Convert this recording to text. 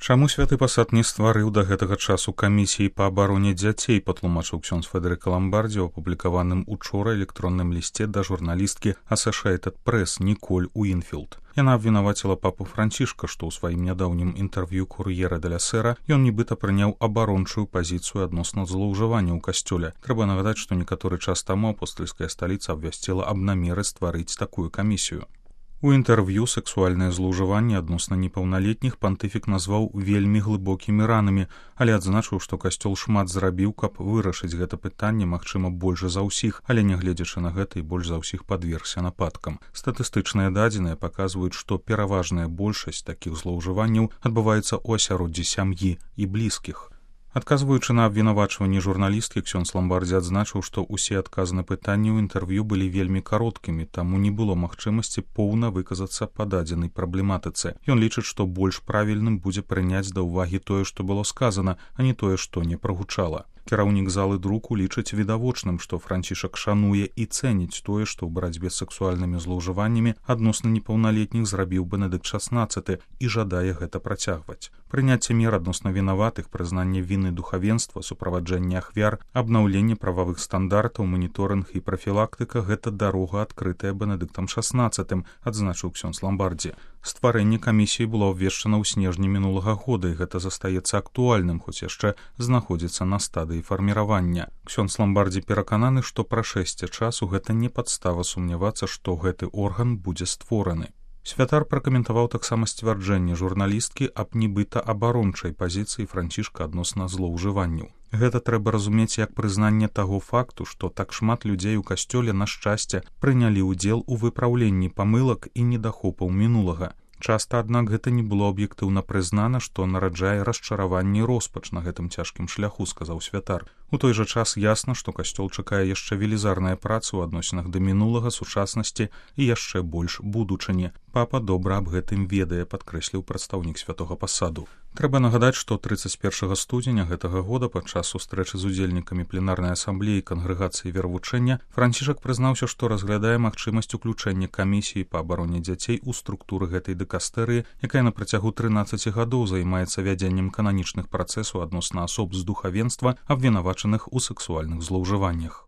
Чаму святы пасад не стварыў да гэтага часу камісіі па абароне дзяцей, патлумачыў ксёндз Федэрыка Ламбардзі ў апублікаваным учора электронным лісце да журналісткі Associated Press Ніколь Уінфілд. Яна абвінаваціла папу Францішка, што ў сваім нядаўнім інтэрв'ю Кур'ера де ля Сера ён нібыта прыняў абарончую пазіцыю адносна злоўжывання ў касцёле. Трэба нагадаць, што некаторы час таму апостальская сталіца абвясціла аб намеры стварыць такую камісію. У інтэрв'ю сексуальнае злоўжыванне адносна непаўналетніх пантыфік назваў вельмі глыбокімі ранамі, але адзначыў, што касцёл шмат зрабіў, каб вырашыць гэта пытанне, магчыма, больш за ўсіх, але нягледзячы на гэта і больш за ўсіх падвергся нападкам. Статыстычныя дадзеныя паказваюць, што пераважная большасць такіх злоўжыванняў адбываецца ў асяроддзі сям'і і блізкіх. Адказваючы на абвінавачванні журналісткі, ксёндз Ламбардзі адзначыў, што ўсе адказы на пытанні ў інтэрв'ю былі вельмі кароткімі, таму не было магчымасці поўна выказацца па дадзенай праблематыцы. Ён лічыць, што больш правільным будзе прыняць да ўвагі тое, што было сказана, а не тое, што не прагучала. Кіраўнік залы друку лічыць відавочным, што Францішак шануе і цэніць тое, што ў барацьбе з сексуальнымі злоўжываннямі адносна непаўналетніх зрабіў Бенедыкт XVI і жадае гэта працягваць. Прыняцце мер адносна вінаватых, прызнанне віны духавенства, суправаджэнне ахвяр, абнаўленне прававых стандартаў, маніторынг і прафілактыка – гэта дарога, адкрытая Бенедыктам XVI, адзначыў ксёндз Ламбардзі. Стварэнне камісіі было абвешчана ў снежні мінулага года, і гэта застаецца актуальным, хоць яшчэ знаходзіцца на стадыі фарміравання. Ксёндз Ламбардзі перакананы, што прашэсце часу гэта не падстава сумнявацца, што гэты орган будзе створаны. Святар пракаментаваў таксама сцвярджэнне журналісткі аб нібыта абарончай пазіцыі Францішка адносна злоўжыванняў. Гэта трэба разумець як прызнанне таго факту, што так шмат людзей у касцёле, на шчасце, прынялі ўдзел у выпраўленні памылак і недахопаў мінулага. Часта, аднак, гэта не было аб'ектыўна прызнана, што нараджае расчараванне і роспач на гэтым цяжкім шляху, сказаў святар. У той жа час ясна, што касцёл чакае яшчэ велізарная праца ў адносінах да мінулага, сучаснасці і яшчэ больш будучыні. Папа добра аб гэтым ведае, падкрэсліў прадстаўнік святога пасаду. Трэба нагадаць, што 31 студзеня гэтага года падчас сустрэчы з удзельнікамі пленарнай асамблеі кангрэгацыі веравучэння Францішак прызнаўся, што разглядае магчымасць уключэння камісіі па абароне дзяцей у структуры гэтай дыкастэрыі, якая на працягу 13 гадоў займаецца вядзеннем кананічных працэсаў адносна асоб з духавенства, абвінавачаных у сексуальных злоўжываннях.